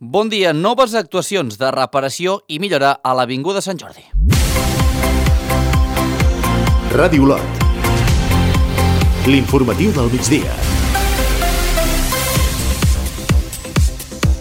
Bon dia, noves actuacions de reparació i millora a l'Avinguda Sant Jordi. Ràdio Olot. L'informatiu del migdia.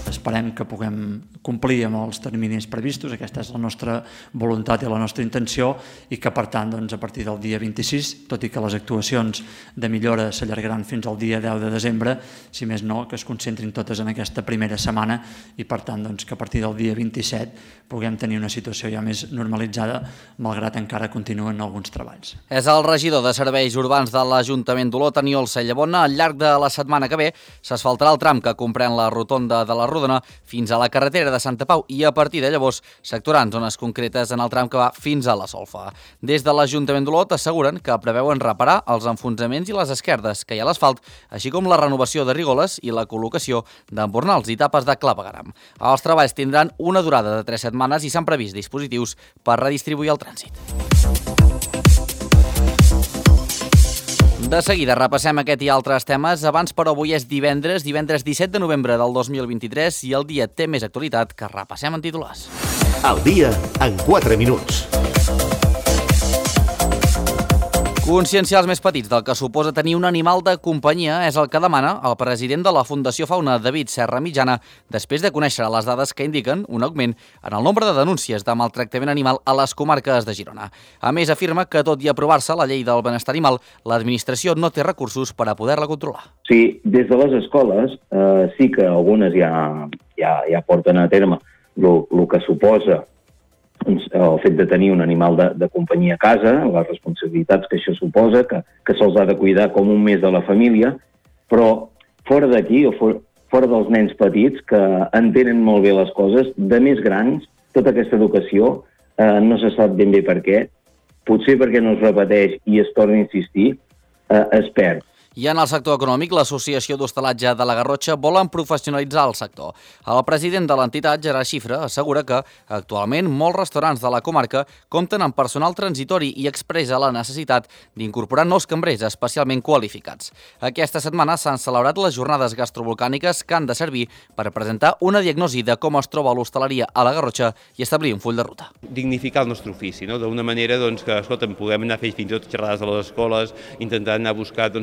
Esperem que puguem complir amb els terminis previstos, aquesta és la nostra voluntat i la nostra intenció, i que per tant a partir del dia 26, tot i que les actuacions de millora s'allargaran fins al dia 10 de desembre, si més no, que es concentrin totes en aquesta primera setmana i per tant que a partir del dia 27 puguem tenir una situació ja més normalitzada, malgrat encara continuen alguns treballs. És el regidor de Serveis Urbans de l'Ajuntament d'Olot, Aniol Cellabona. Al llarg de la setmana que ve s'asfaltarà el tram que comprèn la rotonda de la Rodona fins a la carretera de Santa Pau i a partir de llavors s'actuaran zones concretes en el tram que va fins a la Solfa. Des de l'Ajuntament d'Olot asseguren que preveuen reparar els enfonsaments i les esquerdes que hi ha a l'asfalt, així com la renovació de rigoles i la col·locació d'embornals i tapes de clavegaram. Els treballs tindran una durada de 3 setmanes i s'han previst dispositius per redistribuir el trànsit. De seguida repassem aquest i altres temes. Abans, però, avui és divendres 17 de novembre del 2023 i el dia té més actualitat que repassem en titulars. El dia en 4 minuts. Conscienciar els més petits del que suposa tenir un animal de companyia és el que demana el president de la Fundació Fauna, David Serra Mitjana, després de conèixer les dades que indiquen un augment en el nombre de denúncies de maltractament animal a les comarques de Girona. A més, afirma que, tot i aprovar-se la llei del benestar animal, l'administració no té recursos per a poder-la controlar. Sí, des de les escoles sí que algunes ja porten a terme el que suposa el fet de tenir un animal de companyia a casa, les responsabilitats que això suposa, que se'ls ha de cuidar com un més de la família, però fora d'aquí, o fora dels nens petits, que entenen molt bé les coses, de més grans, tota aquesta educació no se sap ben bé per què, potser perquè no es repeteix i es torna a insistir, es perd. I en el sector econòmic, l'Associació d'Hostalatge de la Garrotxa volen professionalitzar el sector. El president de l'entitat, Gerard Xifra, assegura que actualment molts restaurants de la comarca compten amb personal transitori i expressa la necessitat d'incorporar nous cambrers especialment qualificats. Aquesta setmana s'han celebrat les jornades gastrovolcàniques que han de servir per presentar una diagnosi de com es troba l'hostaleria a la Garrotxa i establir un full de ruta. Dignificar el nostre ofici, no? D'una manera que, escolta, puguem anar a fer fins i tot xerrades a les escoles, intentar anar a buscar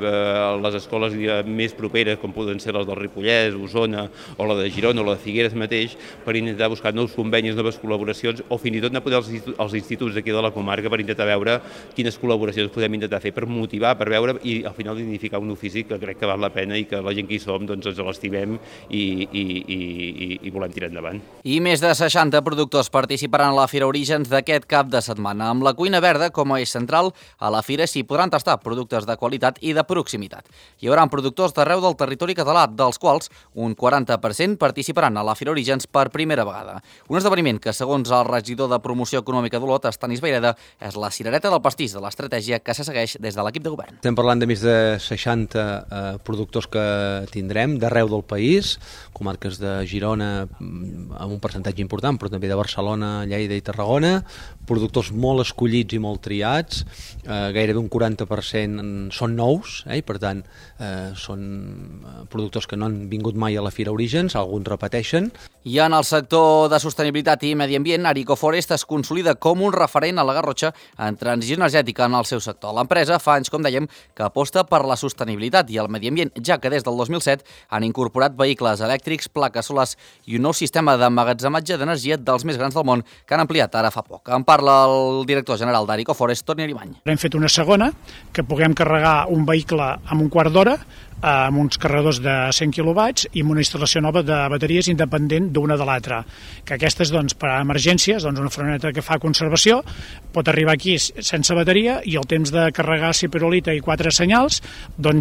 les escoles més properes, com poden ser les del Ripollès, Osona, o la de Girona, o la de Figueres mateix, per intentar buscar nous convenis, noves col·laboracions, o fins i tot anar a poder als instituts d'aquí de la comarca per intentar veure quines col·laboracions podem intentar fer per motivar, per veure i al final dignificar un ofici que crec que val la pena i que la gent que hi som ens l'estimem i volem tirar endavant. I més de 60 productors participaran a la Fira Orígens d'aquest cap de setmana. Amb la cuina verda com a eix central, a la Fira s'hi podran tastar productes de qualitat i de proximitat. Hi haurà productors d'arreu del territori català, dels quals un 40% participaran a la Fira Orígens per primera vegada. Un esdeveniment que, segons el regidor de Promoció Econòmica d'Olot, Estanis Vaireda, és la cirereta del pastís de l'estratègia que se segueix des de l'equip de govern. Estem parlant de més de 60 productors que tindrem d'arreu del país, comarques de Girona amb un percentatge important, però també de Barcelona, Lleida i Tarragona, productors molt escollits i molt triats, gairebé un 40% són nous, i per tant són productors que no han vingut mai a la Fira Orígens, alguns repeteixen. I en el sector de sostenibilitat i medi ambient, Arico Forest es consolida com un referent a la Garrotxa en transició energètica en el seu sector. L'empresa fa anys, com dèiem, que aposta per la sostenibilitat i el medi ambient, ja que des del 2007 han incorporat vehicles elèctrics, plaques solars i un nou sistema d'emmagatzematge d'energia dels més grans del món que han ampliat ara fa poc. En parla el director general d'Arico Forest, Toni Arimany. Hem fet una segona, que puguem carregar un vehicle amb un quart d'hora, amb uns carregadors de 100 quilowatts i amb una instal·lació nova de bateries independent d'una de l'altra. Que aquestes, per a emergències, una furgoneta que fa conservació, pot arribar aquí sense bateria i el temps de carregar ciperolita i 4 senyals,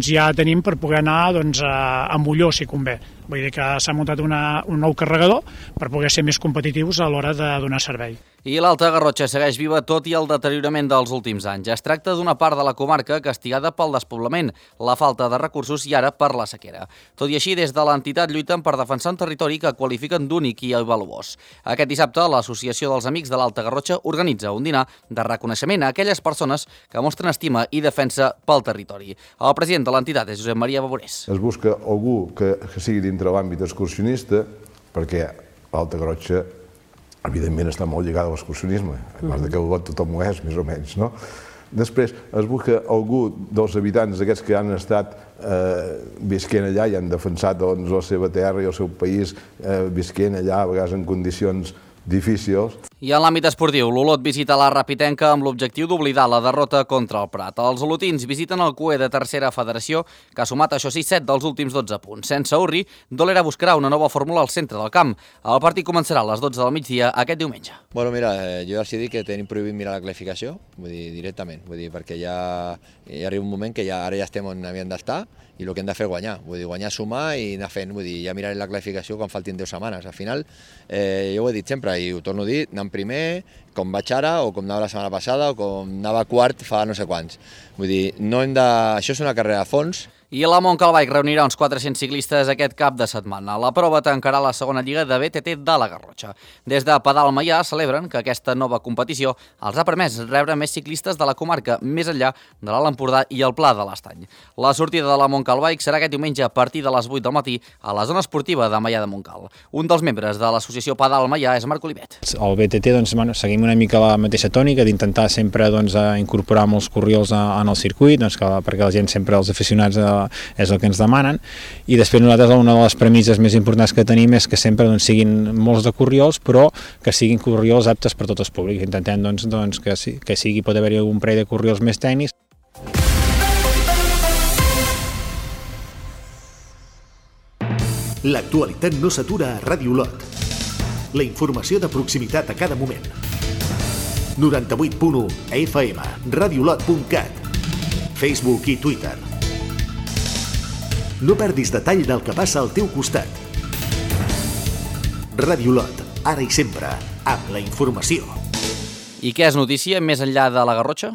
ja tenim per poder anar a Molló, si convé. Vull dir que s'ha muntat un nou carregador per poder ser més competitius a l'hora de donar servei. I l'Alta Garrotxa segueix viva tot i el deteriorament dels últims anys. Es tracta d'una part de la comarca castigada pel despoblament, la falta de recursos i ara per la sequera. Tot i així, des de l'entitat lluiten per defensar un territori que qualifiquen d'únic i valuós. Aquest dissabte, l'Associació dels Amics de l'Alta Garrotxa organitza un dinar de reconeixement a aquelles persones que mostren estima i defensa pel territori. El president de l'entitat és Josep Maria Baborés. Es busca algú que sigui dintre l'àmbit excursionista, perquè l'Alta Garrotxa, evidentment, està molt lligada a l'excursionisme, a part que Olot tothom ho és, més o menys, no? Després es busca algú dels habitants d'aquests que han estat visquent allà i han defensat la seva terra i el seu país visquent allà, a vegades en condicions difícils. I en l'àmbit esportiu, l'Olot visita la Rapitenca amb l'objectiu d'oblidar la derrota contra el Prat. Els olotins visiten el CUE de tercera federació, que ha sumat, això sí, 7 dels últims 12 punts. Sense Urri, Dolera buscarà una nova fórmula al centre del camp. El partit començarà a les 12 del migdia aquest diumenge. Bueno, mira, jo ja els he dit que tenim prohibit mirar la classificació, vull dir, directament, vull dir, perquè ja arriba un moment que ara ja estem on havíem d'estar i el que hem de fer és guanyar, vull dir, guanyar, sumar i anar fent, vull dir, ja mirarem la classificació quan faltin 10 setmanes. Al final, jo ho he dit sempre i ho torno a dir, anant primer, com vaig ara, o com anava la setmana passada, o com anava quart fa no sé quants. Vull dir, no hem de... Això és una carrera a fons. I la Montcalbike reunirà uns 400 ciclistes aquest cap de setmana. La prova tancarà la segona lliga de BTT de la Garrotxa. Des de Pedal Maià celebren que aquesta nova competició els ha permès rebre més ciclistes de la comarca, més enllà de l'Alt Empordà i el Pla de l'Estany. La sortida de la Montcalbike serà aquest diumenge a partir de les 8 del matí a la zona esportiva de Maià de Montcal. Un dels membres de l'associació Pedal Maià és Marc Olivet. Al BTT seguim una mica la mateixa tònica d'intentar sempre incorporar molts corriols en el circuit, perquè la gent sempre, els aficionats, és el que ens demanen, i després nosaltres una de les premisses més importants que tenim és que sempre siguin molts de corriols, però que siguin corriols aptes per tots els públics. Intentem que sigui, pot haver-hi algun parell de corriols més tècnics. L'actualitat no s'atura a Ràdio Olot. La informació de proximitat a cada moment. 98.1 FM, radiolot.cat, Facebook i Twitter. No perdis detall del que passa al teu costat. Ràdio Olot, ara i sempre, amb la informació. I què és notícia més enllà de la Garrotxa?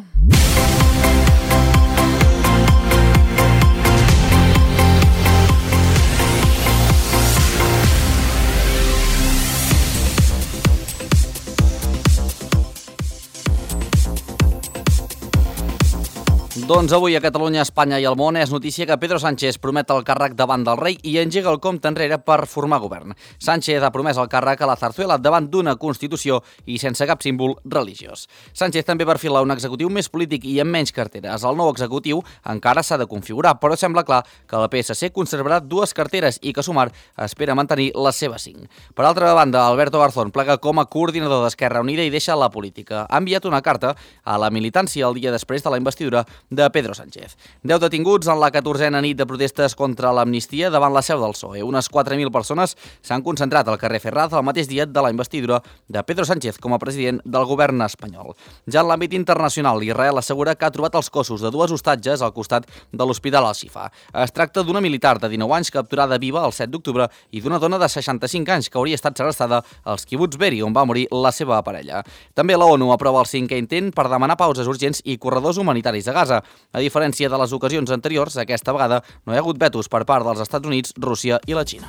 Doncs avui a Catalunya, Espanya i el món és notícia que Pedro Sánchez promet el càrrec davant del rei i engega el compte enrere per formar govern. Sánchez ha promès el càrrec a la Zarzuela davant d'una Constitució i sense cap símbol religiós. Sánchez també perfila un executiu més polític i amb menys carteres. El nou executiu encara s'ha de configurar, però sembla clar que el PSC conservarà 2 carteres i que Sumar espera mantenir les seves 5. Per altra banda, Alberto Garzón plega com a coordinador d'Esquerra Unida i deixa la política. Ha enviat una carta a la militància el dia després de la investidura de Pedro Sánchez. 10 detinguts en la 14a nit de protestes contra l'amnistia davant la seu del PSOE. Unes 4.000 persones s'han concentrat al carrer Ferraz el mateix dia de la investidura de Pedro Sánchez com a president del govern espanyol. Ja en l'àmbit internacional, Israel assegura que ha trobat els cossos de 2 hostatges al costat de l'Hospital Al-Shifa. Es tracta d'una militar de 19 anys capturada viva el 7 d'octubre i d'una dona de 65 anys que hauria estat segrestada als quibuts Beri, on va morir la seva parella. També la ONU aprova el 5è intent per demanar pauses urgents i corredors humanitaris a Gaza. A diferència de les ocasions anteriors, aquesta vegada no hi ha hagut vetos per part dels Estats Units, Rússia i la Xina.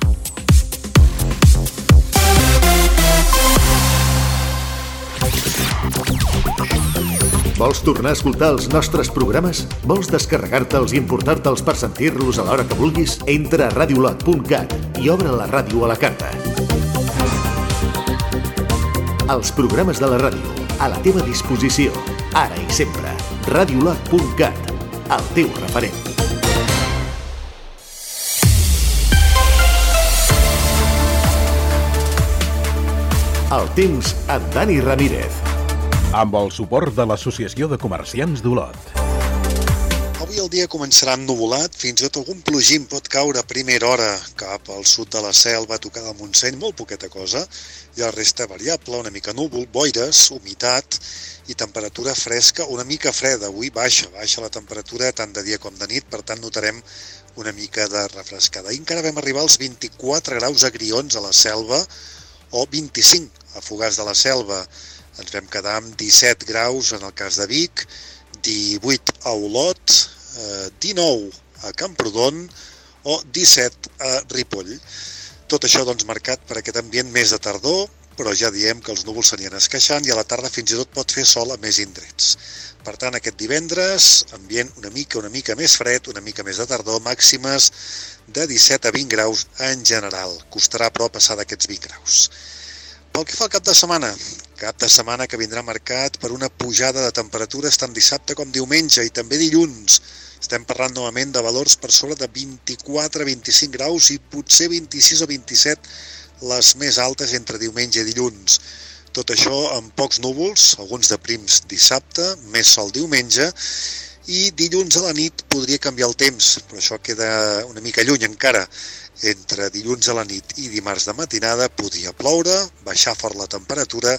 Vols tornar a escoltar els nostres programes? Vols descarregar-te'ls i importar-te'ls per sentir-los a l'hora que vulguis? Entra a radiolot.cat i obre la ràdio a la carta. Els programes de la ràdio, a la teva disposició, ara i sempre. radiolot.cat, el teu referent. El temps amb Dani Ramírez. Amb el suport de l'Associació de Comerciants d'Olot. Avui el dia començarà ennuvolat, fins i tot algun plogim pot caure a primera hora cap al sud de la Selva, a tocar del Montseny, molt poqueta cosa, i la resta variable, una mica núvol, boires, humitat i temperatura fresca, una mica freda. Avui baixa la temperatura tant de dia com de nit, per tant notarem una mica de refrescada. I encara vam arribar als 24 graus a Grions, a la Selva, o 25 a Fogars de la Selva. Ens vam quedar amb 17 graus en el cas de Vic, 18 a Olot, 19 a Camprodon o 17 a Ripoll. Tot això marcat per aquest ambient més de tardor, però ja diem que els núvols s'anien esqueixant i a la tarda fins i tot pot fer sol a més indrets. Per tant, aquest divendres, ambient una mica més fred, una mica més de tardor, màximes de 17 a 20 graus en general. Costarà, però, passar d'aquests 20 graus. Pel que fa al cap de setmana que vindrà marcat per una pujada de temperatures tant dissabte com diumenge i també dilluns. Estem parlant novament de valors per sobre de 24 a 25 graus i potser 26 o 27 les més altes entre diumenge i dilluns. Tot això amb pocs núvols, alguns de prims dissabte, més sol diumenge, i dilluns a la nit podria canviar el temps, però això queda una mica lluny encara. Entre dilluns a la nit i dimarts de matinada podria ploure, baixar fort la temperatura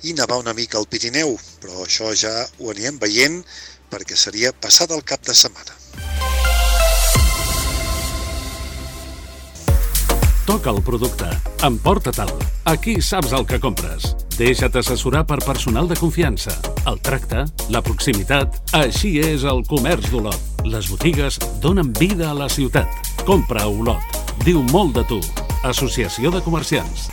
i nevar una mica al Pirineu, però això ja ho anirem veient perquè seria passat el cap de setmana. Toca el producte. Emporta-te'l. Aquí saps el que compres. Deixa't assessorar per personal de confiança. El tracte, la proximitat... Així és el comerç d'Olot. Les botigues donen vida a la ciutat. Compra a Olot. Diu molt de tu. Associació de Comerciants.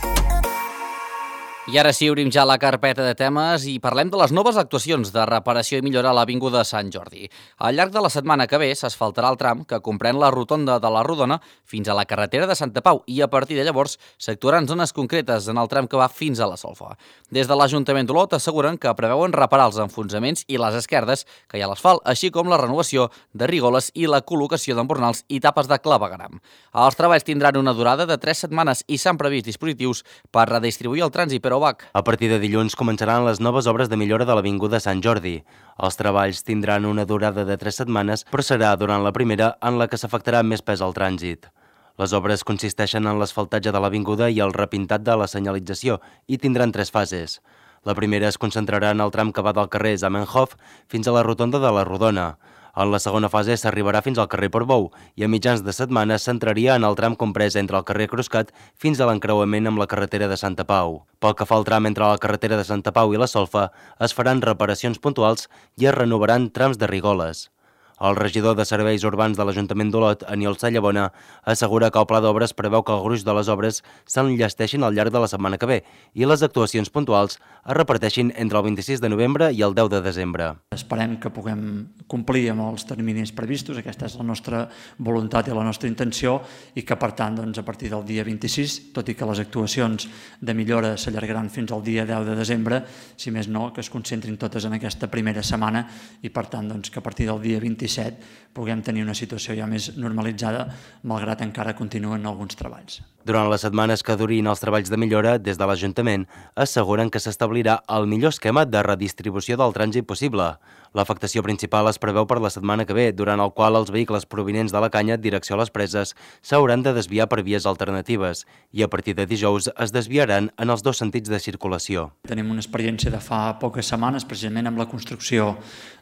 I ara sí, obrim ja la carpeta de temes i parlem de les noves actuacions de reparació i millora a l'Avinguda Sant Jordi. Al llarg de la setmana que ve s'asfaltarà el tram que comprèn la rotonda de la Rodona fins a la carretera de Santa Pau i a partir de llavors s'actuaran zones concretes en el tram que va fins a la Solfa. Des de l'Ajuntament d'Olot asseguren que preveuen reparar els enfonsaments i les esquerdes que hi ha a l'asfalt, així com la renovació de rigoles i la col·locació d'embornals i tapes de clavegueram. Els treballs tindran una durada de 3 setmanes i s'han previst dispositius per redistribuir el trànsit, però a partir de dilluns començaran les noves obres de millora de l'Avinguda Sant Jordi. Els treballs tindran una durada de 3 setmanes, però serà durant la primera en la que s'afectarà més pes al trànsit. Les obres consisteixen en l'asfaltatge de l'avinguda i el repintat de la senyalització i tindran 3 fases. La primera es concentrarà en el tram que va del carrer Zamenhof fins a la rotonda de la Rodona. En la segona fase s'arribarà fins al carrer Portbou i a mitjans de setmana s'entraria en el tram comprès entre el carrer Cruscat fins a l'encreuament amb la carretera de Santa Pau. Pel que fa al tram entre la carretera de Santa Pau i la Solfa, es faran reparacions puntuals i es renovaran trams de rigoles. El regidor de Serveis Urbans de l'Ajuntament d'Olot, Aniol Sallabona, assegura que el pla d'obres preveu que el gruix de les obres s'enllesteixin al llarg de la setmana que ve i les actuacions puntuals es reparteixin entre el 26 de novembre i el 10 de desembre. Esperem que puguem complir amb els terminis previstos, aquesta és la nostra voluntat i la nostra intenció, i que per tant a partir del dia 26, tot i que les actuacions de millora s'allargaran fins al dia 10 de desembre, si més no, que es concentrin totes en aquesta primera setmana i per tant que a partir del dia 27 puguem tenir una situació ja més normalitzada, malgrat encara continuen alguns treballs. Durant les setmanes que durin els treballs de millora, des de l'Ajuntament asseguren que s'establirà el millor esquema de redistribució del trànsit possible. L'afectació principal es preveu per la setmana que ve, durant el qual els vehicles provinents de la Canya, direcció a les Preses, s'hauran de desviar per vies alternatives i a partir de dijous es desviaran en els 2 sentits de circulació. Tenim una experiència de fa poques setmanes, precisament amb la construcció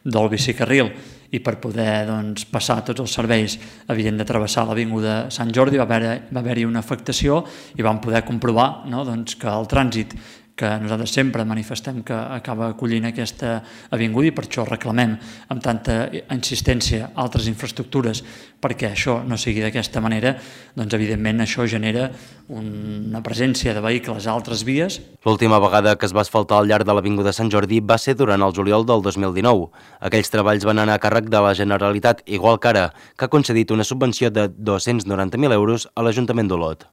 del bicicarril, i per poder passar tots els serveis havien de travessar l'Avinguda Sant Jordi, va haver-hi una afectació i vam poder comprovar que el trànsit que nosaltres sempre manifestem que acaba acollint aquesta avinguda i per això reclamem amb tanta insistència altres infraestructures perquè això no sigui d'aquesta manera, evidentment això genera una presència de vehicles a altres vies. L'última vegada que es va asfaltar al llarg de l'Avinguda Sant Jordi va ser durant el juliol del 2019. Aquells treballs van anar a càrrec de la Generalitat, igual que ara, que ha concedit una subvenció de 290.000 euros a l'Ajuntament d'Olot.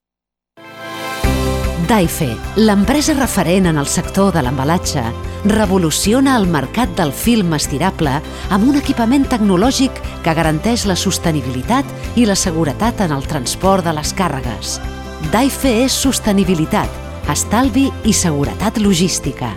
Daife, l'empresa referent en el sector de l'embalatge, revoluciona el mercat del film estirable amb un equipament tecnològic que garanteix la sostenibilitat i la seguretat en el transport de les càrregues. Daife és sostenibilitat, estalvi i seguretat logística.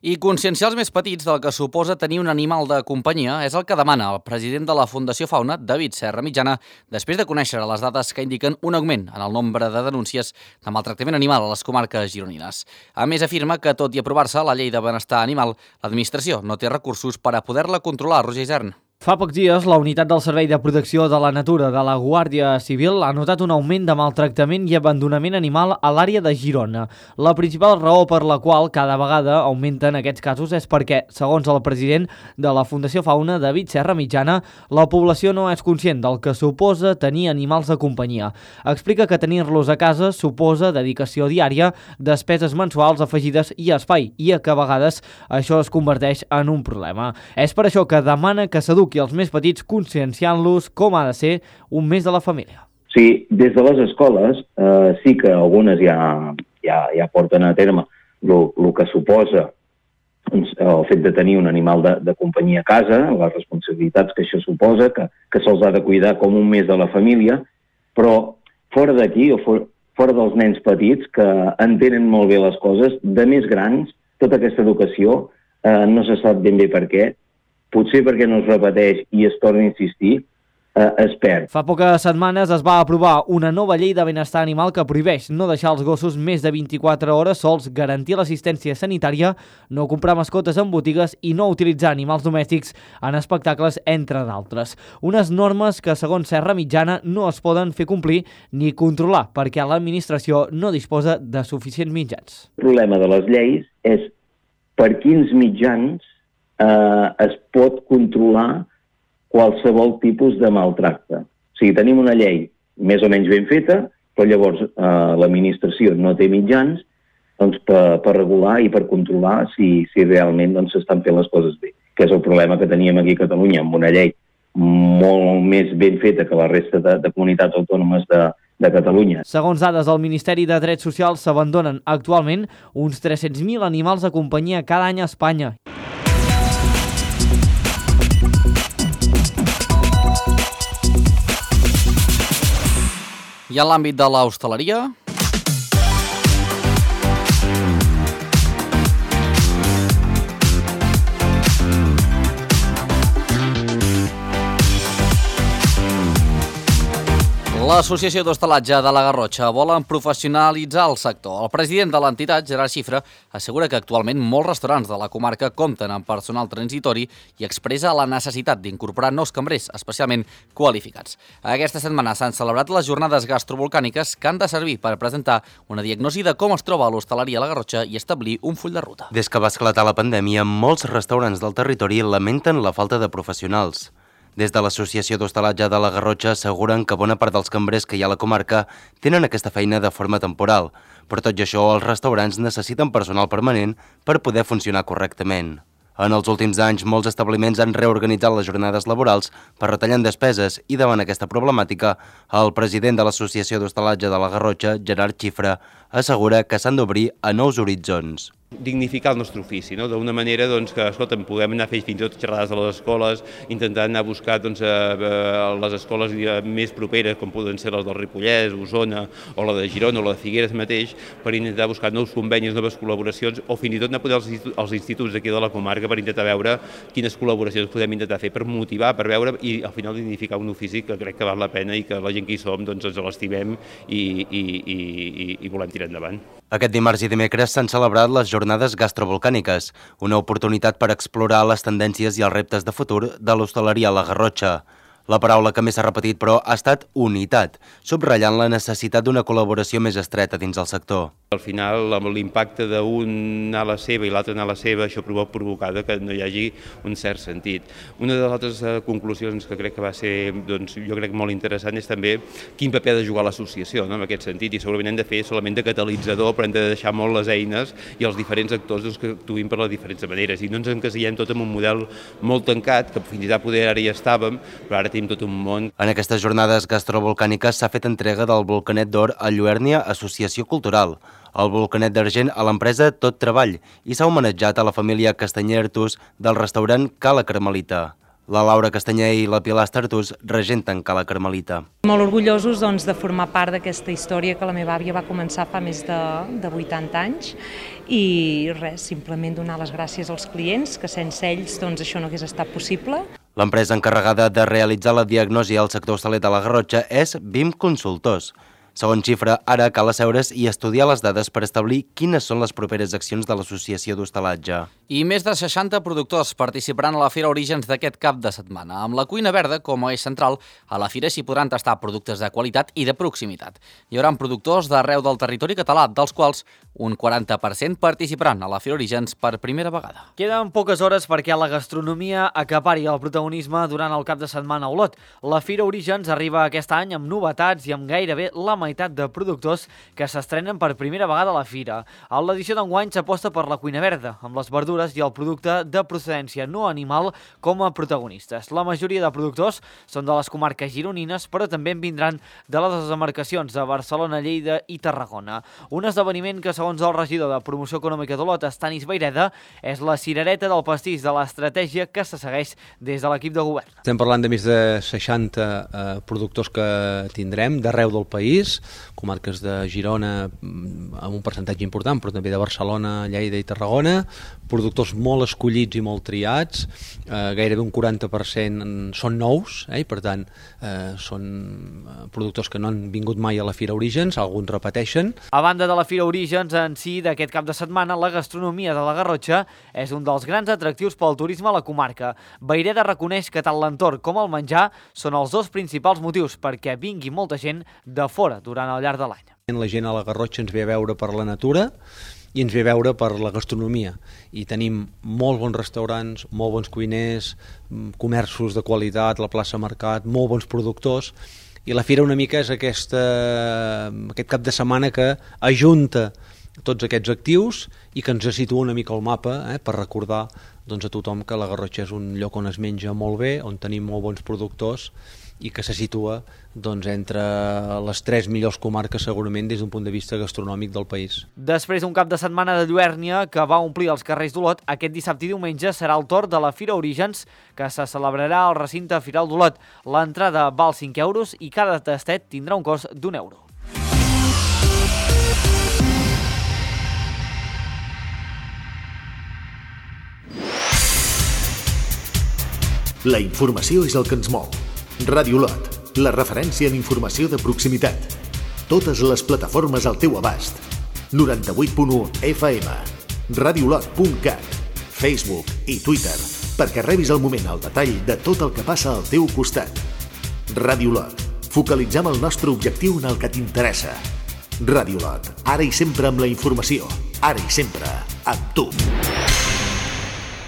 I conscienciar els més petits del que suposa tenir un animal de companyia és el que demana el president de la Fundació Fauna, David Serra Mitjana, després de conèixer les dades que indiquen un augment en el nombre de denúncies de maltractament animal a les comarques gironines. A més, afirma que, tot i aprovar-se la llei de benestar animal, l'administració no té recursos per a poder-la controlar. Roger Isern. Fa pocs dies, la Unitat del Servei de Protecció de la Natura de la Guàrdia Civil ha notat un augment de maltractament i abandonament animal a l'àrea de Girona. La principal raó per la qual cada vegada augmenten aquests casos és perquè, segons el president de la Fundació Fauna, David Serra Mitjana, la població no és conscient del que suposa tenir animals de companyia. Explica que tenir-los a casa suposa dedicació diària, despeses mensuals afegides i espai, i que a vegades això es converteix en un problema. És per això que demana que s'eduqui els més petits conscienciant-los com ha de ser un mes de la família. sigui, des de les escoles sí que algunes ja porten a terme el que suposa el fet de tenir un animal de companyia a casa, les responsabilitats que això suposa, que se'ls ha de cuidar com un més de la família, però fora d'aquí o fora dels nens petits que entenen molt bé les coses, de més grans, tota aquesta educació no se sap ben bé per què, potser perquè no es repeteix i es torna a insistir, es perd. Fa poques setmanes es va aprovar una nova llei de benestar animal que prohibeix no deixar els gossos més de 24 hores sols, garantir l'assistència sanitària, no comprar mascotes en botigues i no utilitzar animals domèstics en espectacles, entre d'altres. Unes normes que, segons Serra Mitjana, no es poden fer complir ni controlar perquè l'administració no disposa de suficients mitjans. El problema de les lleis és per quins mitjans es pot controlar qualsevol tipus de maltracte. O sigui, tenim una llei més o menys ben feta, però llavors l'administració no té mitjans per regular i per controlar si realment s'estan fent les coses bé, que és el problema que teníem aquí a Catalunya, amb una llei molt més ben feta que la resta de comunitats autònomes de Catalunya. Segons dades del Ministeri de Drets Socials, s'abandonen actualment uns 300.000 animals de companyia cada any a Espanya. I en l'àmbit de l'hostaleria... L'Associació d'Hostalatge de la Garrotxa volen professionalitzar el sector. El president de l'entitat, Gerard Xifra, assegura que actualment molts restaurants de la comarca compten amb personal transitori i expressa la necessitat d'incorporar nous cambrers, especialment qualificats. Aquesta setmana s'han celebrat les jornades gastrovolcàniques que han de servir per presentar una diagnosi de com es troba l'hostaleria a la Garrotxa i establir un full de ruta. Des que va esclatar la pandèmia, molts restaurants del territori lamenten la falta de professionals. Des de l'Associació d'Hostalatge de la Garrotxa asseguren que bona part dels cambrers que hi ha a la comarca tenen aquesta feina de forma temporal, però tot i això els restaurants necessiten personal permanent per poder funcionar correctament. En els últims anys, molts establiments han reorganitzat les jornades laborals per retallar despeses i davant aquesta problemàtica, el president de l'Associació d'Hostalatge de la Garrotxa, Gerard Xifra, assegura que s'han d'obrir a nous horitzons. Dignificar el nostre ofici, no? D'una manera que, escolta, puguem anar a fer fins i tot xerrades a les escoles, intentar anar a buscar les escoles més properes, com poden ser les del Ripollès, Osona, o la de Girona, o la de Figueres mateix, per intentar buscar nous convenis, noves col·laboracions, o fins i tot anar a poder als instituts d'aquí de la comarca per intentar veure quines col·laboracions podem intentar fer, per motivar, per veure i al final dignificar un ofici que crec que val la pena i que la gent que hi som ens l'estimem i volem tirar endavant. Aquest dimarts i dimecres s'han celebrat les jornades gastrovolcàniques, una oportunitat per explorar les tendències i els reptes de futur de l'hostaleria a la Garrotxa. La paraula que més s'ha repetit, però, ha estat unitat, subratllant la necessitat d'una col·laboració més estreta dins el sector. Al final, amb l'impacte d'un anar a la seva i l'altre anar a la seva, això provoca que no hi hagi un cert sentit. Una de les altres conclusions que crec que va ser, jo crec, molt interessant és també quin paper ha de jugar l'associació, en aquest sentit, i segurament hem de fer solament de catalitzador, però hem de deixar molt les eines i els diferents actors que actuïn per les diferents maneres, i no ens encasillem tot en un model molt tancat, que fins i tot poder ara hi estàvem, però ara tenim tot un món. En aquestes jornades gastrovolcàniques s'ha fet entrega del Volcanet d'Or a Lluèrnia Associació Cultural, el Volcanet d'Argent a l'empresa Tot Treball i s'ha homenatjat a la família Castanyer Artús del restaurant Cala Carmelita. La Laura Castanyer i la Pilar Artús regenten Cala Carmelita. Molt orgullosos de formar part d'aquesta història que la meva àvia va començar fa més de 80 anys i res, simplement donar les gràcies als clients, que sense ells això no hagués estat possible. L'empresa encarregada de realitzar la diagnosi al sector hostaler de la Garrotxa és BIM Consultors. Segons Xifra, ara cal asseure's i estudiar les dades per establir quines són les properes accions de l'Associació d'Hostalatge. I més de 60 productors participaran a la Fira Orígens d'aquest cap de setmana. Amb la cuina verda com a eix central, a la Fira s'hi podran tastar productes de qualitat i de proximitat. Hi haurà productors d'arreu del territori català, dels quals un 40% participaran a la Fira Orígens per primera vegada. Queden poques hores perquè la gastronomia acapari el protagonisme durant el cap de setmana a Olot. La Fira Orígens arriba aquest any amb novetats i amb gairebé la meitat de productors que s'estrenen per primera vegada a la Fira. A l'edició d'enguany s'aposta per la cuina verda, amb les verdures temperatures i el producte de procedència no animal com a protagonistes. La majoria de productors són de les comarques gironines, però també en vindran de les demarcacions de Barcelona, Lleida i Tarragona. Un esdeveniment que, segons el regidor de Promoció Econòmica d'Olot, Estanis Vayreda, és la cirereta del pastís de l'estratègia que se segueix des de l'equip de govern. Estem parlant de més de 60 productors que tindrem d'arreu del país, comarques de Girona amb un percentatge important, però també de Barcelona, Lleida i Tarragona, productors molt escollits i molt triats, gairebé un 40% són nous, i per tant són productors que no han vingut mai a la Fira Orígens, alguns repeteixen. A banda de la Fira Orígens en si d'aquest cap de setmana, la gastronomia de la Garrotxa és un dels grans atractius pel turisme a la comarca. Vayreda reconeix que tant l'entorn com el menjar són els dos principals motius perquè vingui molta gent de fora durant el llarg de l'any. La gent a la Garrotxa ens ve a veure per la natura i ens ve a veure per la gastronomia. I tenim molt bons restaurants, molt bons cuiners, comerços de qualitat, la plaça Mercat, molt bons productors. I la fira una mica és aquest cap de setmana que ajunta tots aquests actius i que ens situa una mica al mapa per recordar a tothom que la Garrotxa és un lloc on es menja molt bé, on tenim molt bons productors i que se situa entre les 3 millors comarques segurament des d'un punt de vista gastronòmic del país. Després d'un cap de setmana de lluèrnia que va omplir els carrers d'Olot, aquest dissabte i diumenge serà el torn de la Fira Orígens que se celebrarà al recinte Firal d'Olot. L'entrada val 5 euros i cada tastet tindrà un cost d'1 euro. La informació és el que ens mou. Ràdio Olot, la referència en informació de proximitat. Totes les plataformes al teu abast. 98.1 FM, radiolot.cat, Facebook i Twitter, perquè rebis al moment el detall de tot el que passa al teu costat. Ràdio Olot, focalitzem el nostre objectiu en el que t'interessa. Ràdio Olot, ara i sempre amb la informació, ara i sempre amb tu.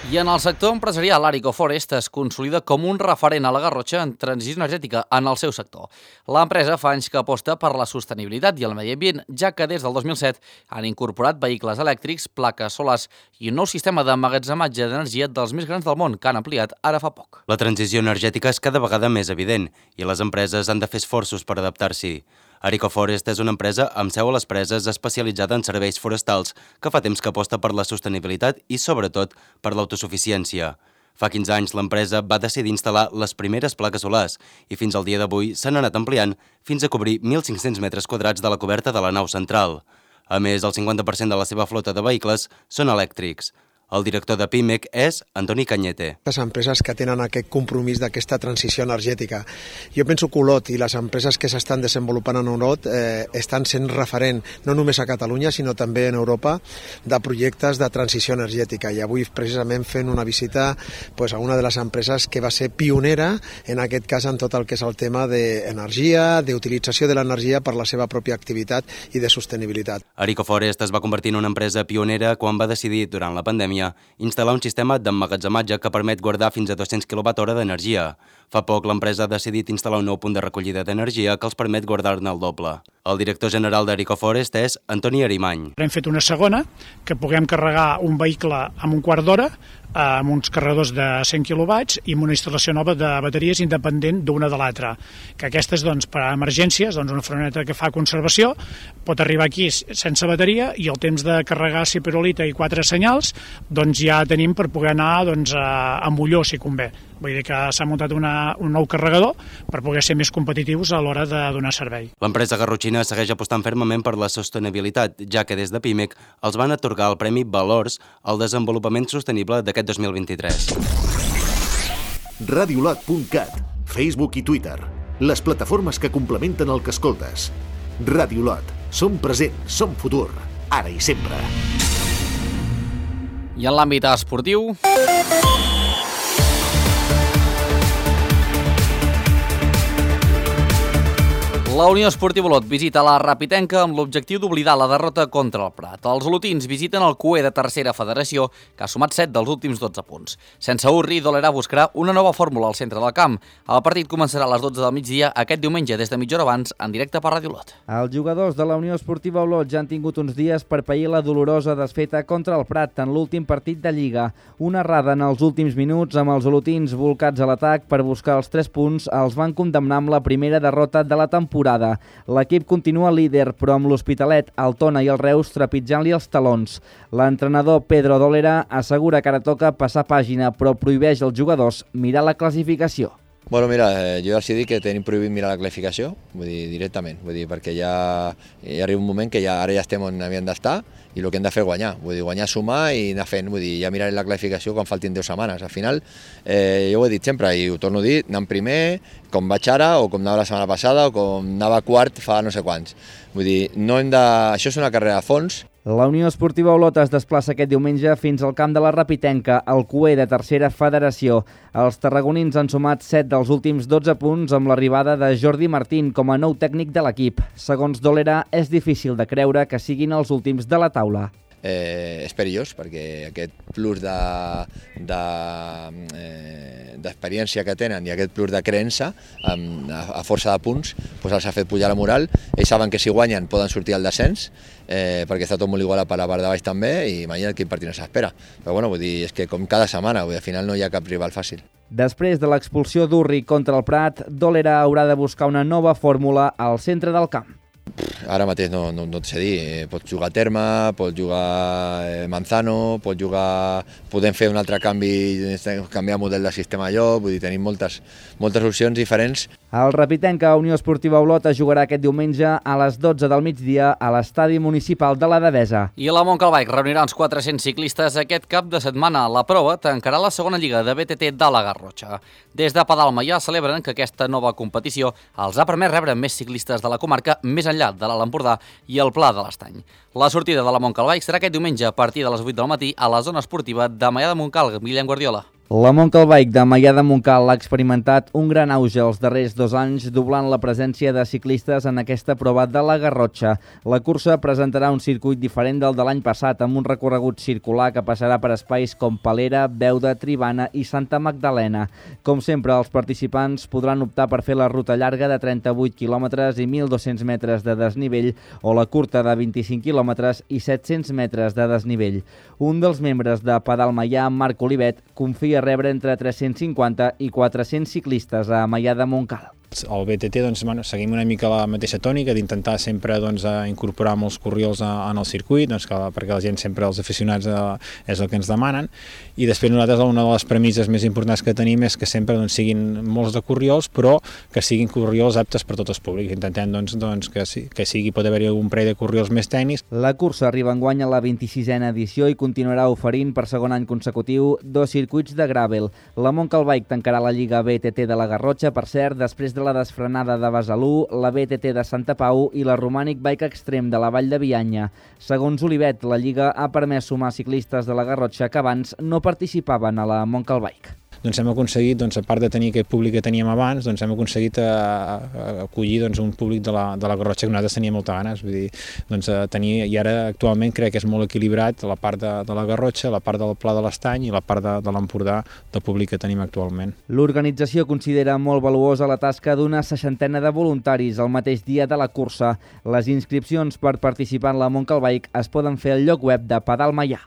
I en el sector empresarial, Arico Forest es consolida com un referent a la Garrotxa en transició energètica en el seu sector. L'empresa fa anys que aposta per la sostenibilitat i el medi ambient, ja que des del 2007 han incorporat vehicles elèctrics, plaques solars i un nou sistema d'emmagatzematge d'energia dels més grans del món, que han ampliat ara fa poc. La transició energètica és cada vegada més evident i les empreses han de fer esforços per adaptar-s'hi. Arico Forest és una empresa amb seu a les Preses especialitzada en serveis forestals que fa temps que aposta per la sostenibilitat i, sobretot, per l'autosuficiència. Fa 15 anys l'empresa va decidir instal·lar les primeres plaques solars i fins al dia d'avui s'han anat ampliant fins a cobrir 1.500 metres quadrats de la coberta de la nau central. A més, el 50% de la seva flota de vehicles són elèctrics. El director de PIMEC és Antoni Cañete. Les empreses que tenen aquest compromís d'aquesta transició energètica. Jo penso que Olot i les empreses que s'estan desenvolupant en Olot estan sent referent no només a Catalunya sinó també en Europa de projectes de transició energètica i avui precisament fent una visita a una de les empreses que va ser pionera en aquest cas en tot el que és el tema d'energia, d'utilització de l'energia per la seva pròpia activitat i de sostenibilitat. Arico Forest es va convertir en una empresa pionera quan va decidir durant la pandèmia instal·lar un sistema d'emmagatzematge que permet guardar fins a 200 kWh d'energia. Fa poc l'empresa ha decidit instal·lar un nou punt de recollida d'energia que els permet guardar-ne el doble. El director general d'Arico Forest és Antoni Arimany. Hem fet una segona, que puguem carregar un vehicle en un quart d'hora amb uns carregadors de 100 kW i amb una instal·lació nova de bateries independent d'una de l'altra. Que aquestes, per a emergències, una freneta que fa conservació, pot arribar aquí sense bateria i el temps de carregar ciperolita i 4 senyals ja tenim per poder anar a Molló, si convé. Vull dir que s'ha muntat un nou carregador per poder ser més competitius a l'hora de donar servei. L'empresa garrotxina segueix apostant fermament per la sostenibilitat, ja que des de PIMEC els van atorgar el Premi Valors al desenvolupament sostenible d'aquest 2023. Radiolot.cat, Facebook i Twitter, les plataformes que complementen el que escoltes. Ràdio Olot, som present, som futur, ara i sempre. I en l'àmbit esportiu... La Unió Esportiva Olot visita la Rapitenca amb l'objectiu d'oblidar la derrota contra el Prat. Els olotins visiten el CUE de tercera federació, que ha sumat 7 dels últims 12 punts. Sense Urri, Dolera buscarà una nova fórmula al centre del camp. El partit començarà a les 12 del migdia aquest diumenge des de mitja hora abans en directe per Ràdio Olot. Els jugadors de la Unió Esportiva Olot ja han tingut uns dies per pair la dolorosa desfeta contra el Prat en l'últim partit de Lliga. Una errada en els últims minuts amb els olotins volcats a l'atac per buscar els 3 punts els van condemnar amb la primera derrota de la temporada. L'equip continua líder, però amb l'Hospitalet, el Tona i el Reus trepitjant-li els talons. L'entrenador Pedro Dolera assegura que ara toca passar pàgina, però prohibeix als jugadors mirar la classificació. Bueno, mira, jo ja els he dit que tenim prohibit mirar la classificació, vull dir, directament, perquè ja arriba un moment que ara ja estem on havíem d'estar i el que hem de fer és guanyar, vull dir, guanyar, sumar i anar fent, vull dir, ja mirarem la classificació quan faltin 10 setmanes. Al final, jo ho he dit sempre i ho torno a dir, anant primer, com vaig ara, o com anava la setmana passada, o com anava quart fa no sé quants. Vull dir, això és una carrera a fons. La Unió Esportiva Olot es desplaça aquest diumenge fins al camp de la Rapitenca, al CUE de tercera federació. Els tarragonins han sumat 7 dels últims 12 punts amb l'arribada de Jordi Martín com a nou tècnic de l'equip. Segons Dolera, és difícil de creure que siguin els últims de la taula. És perillós perquè aquest plus d'experiència que tenen i aquest plus de creença a força de punts els ha fet pujar la moral. Ells saben que si guanyen poden sortir al descens perquè està tot molt igual a la part de baix també i imagina't quin partit no s'espera. Però bueno, vull dir, és que com cada setmana, al final no hi ha cap rival fàcil. Després de l'expulsió d'Urri contra el Prat, Dolera haurà de buscar una nova fòrmula al centre del camp. Ara mateix no et sé dir, pots jugar Terma, pots jugar Manzano, podem fer un altre canvi, canviar model de sistema de joc, vull dir, tenim moltes opcions diferents. El Rapitenca Unió Esportiva Olot es jugarà aquest diumenge a les 12 del migdia a l'estadi municipal de la Devesa. I la Montcalbike reunirà uns 400 ciclistes aquest cap de setmana. La prova tancarà la segona lliga de BTT de la Garrotxa. Des de Padalma ja celebren que aquesta nova competició els ha permès rebre més ciclistes de la comarca més enllà de l'Alt Empordà i el Pla de l'Estany. La sortida de la Montcalbike serà aquest diumenge a partir de les 8 del matí a la zona esportiva de Maià de Montcal. Guillem Guardiola. La Montcalbike de Maià de Montcal ha experimentat un gran auge els darrers 2 anys, doblant la presència de ciclistes en aquesta prova de la Garrotxa. La cursa presentarà un circuit diferent del de l'any passat, amb un recorregut circular que passarà per espais com Palera, Beuda, Tribana i Santa Magdalena. Com sempre, els participants podran optar per fer la ruta llarga de 38 quilòmetres i 1.200 metres de desnivell o la curta de 25 quilòmetres i 700 metres de desnivell. Un dels membres de Pedal Maià, Marc Olivet, confia rebre entre 350 i 400 ciclistes a Maià de Montcal. Al BTT seguim una mica la mateixa tònica d'intentar sempre incorporar molts corriols en el circuit, perquè la gent sempre, els aficionats, és el que ens demanen, i després nosaltres una de les premisses més importants que tenim és que sempre siguin molts de corriols, però que siguin corriols aptes per tots els públics. Intentem que pot haver-hi un parell de corriols més tècnics. La cursa arriba enguany a la 26a edició i continuarà oferint per segon any consecutiu 2 circuits de gravel. La Montcalbike tancarà la Lliga BTT de la Garrotxa, per cert, després de la desfrenada de Besalú, la BTT de Santa Pau i la Romànic Bike Extreme de la Vall de Bianya. Segons Olivet, la Lliga ha permès sumar ciclistes de la Garrotxa que abans no participaven a la Montcalbike. Hem aconseguit, a part de tenir aquest públic que teníem abans, hem aconseguit acollir un públic de la Garrotxa que nosaltres teníem moltes ganes. Vull dir, i ara actualment crec que és molt equilibrat la part de la Garrotxa, la part del Pla de l'Estany i la part de l'Empordà del públic que tenim actualment. L'organització considera molt valuosa la tasca d'una 60ena de voluntaris el mateix dia de la cursa. Les inscripcions per participar en la Montcalbike es poden fer al lloc web de Pedal Maià.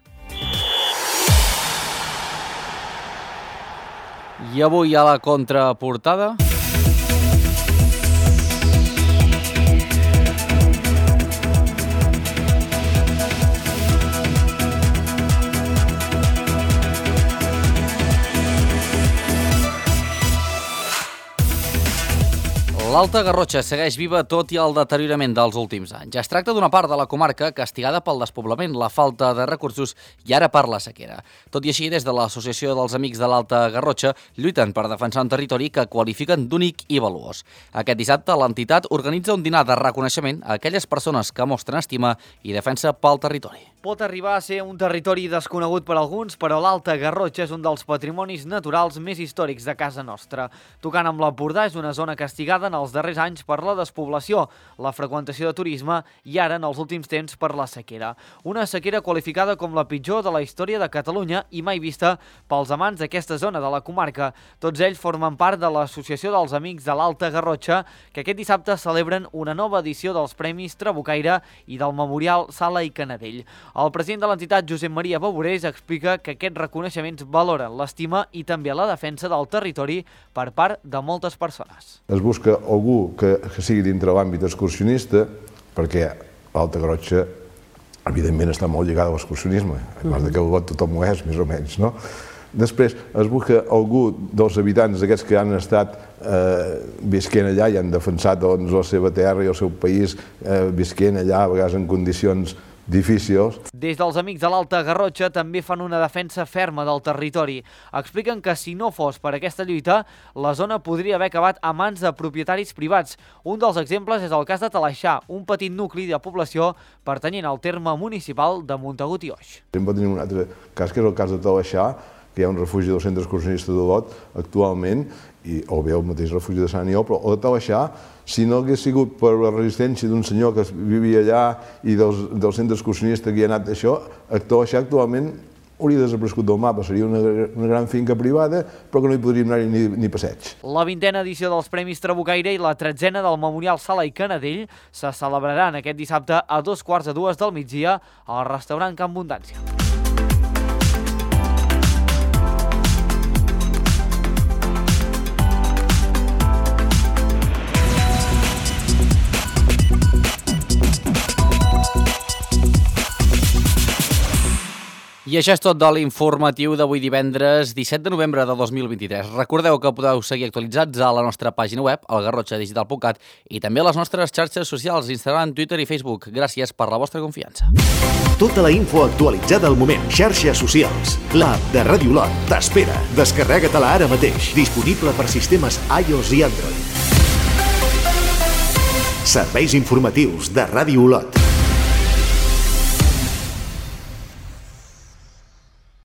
I avui a la contraportada... L'Alta Garrotxa segueix viva tot i el deteriorament dels últims anys. Es tracta d'una part de la comarca castigada pel despoblament, la falta de recursos i ara per la sequera. Tot i així, des de l'Associació dels Amics de l'Alta Garrotxa lluiten per defensar un territori que qualifiquen d'únic i valuós. Aquest dissabte, l'entitat organitza un dinar de reconeixement a aquelles persones que mostren estima i defensa pel territori. Pot arribar a ser un territori desconegut per alguns, però l'Alta Garrotxa és un dels patrimonis naturals més històrics de casa nostra. Tocant amb l'Empordà, és una zona castigada en els darrers anys per la despoblació, la freqüentació de turisme i ara, en els últims temps, per la sequera. Una sequera qualificada com la pitjor de la història de Catalunya i mai vista pels amants d'aquesta zona de la comarca. Tots ells formen part de l'Associació dels Amics de l'Alta Garrotxa, que aquest dissabte celebren una nova edició dels Premis Trabucaire i del Memorial Sala i Canadell. El president de l'entitat, Josep Maria Baborés, explica que aquests reconeixements valoren l'estima i també la defensa del territori per part de moltes persones. Es busca algú que sigui dintre l'àmbit excursionista, perquè l'Alta Garrotxa, evidentment, està molt lligada a l'excursionisme, a part que el vot tothom ho és, més o menys, no? Després es busca algú dels habitants d'aquests que han estat visquent allà i han defensat la seva terra i el seu país, visquent allà, a vegades en condicions difícils. Des dels Amics de l'Alta Garrotxa també fan una defensa ferma del territori. Expliquen que si no fos per aquesta lluita, la zona podria haver acabat a mans de propietaris privats. Un dels exemples és el cas de Talaixà, un petit nucli de població pertanyent al terme municipal de Montagut i Oix. També tenim un altre cas, que és el cas de Talaixà, que hi ha un refugi del centre excursionista d'Olot actualment, o bé el mateix refugi de Sant Aniol, però el de Talaixà, si no hagués sigut per la resistència d'un senyor que vivia allà i del centre excursionista que hi ha anat això, Talaixà actualment hauria desaparegut del mapa, seria una gran finca privada, però que no hi podríem anar ni passeig. La 20a edició dels Premis Trabucaire i la 13a del Memorial Sala i Canadell se celebraran aquest dissabte a 2:45 del migdia al restaurant Can Abundància. I això és tot de l'informatiu d'avui divendres 17 de novembre de 2023. Recordeu que podeu seguir actualitzats a la nostra pàgina web, algarrotxadigital.cat, i també a les nostres xarxes socials, Instagram, Twitter i Facebook. Gràcies per la vostra confiança. Tota la info actualitzada al moment. Xarxes socials. L'app de Ràdio Olot t'espera. Descarrega-te-la ara mateix. Disponible per sistemes iOS i Android. Serveis informatius de Ràdio Olot.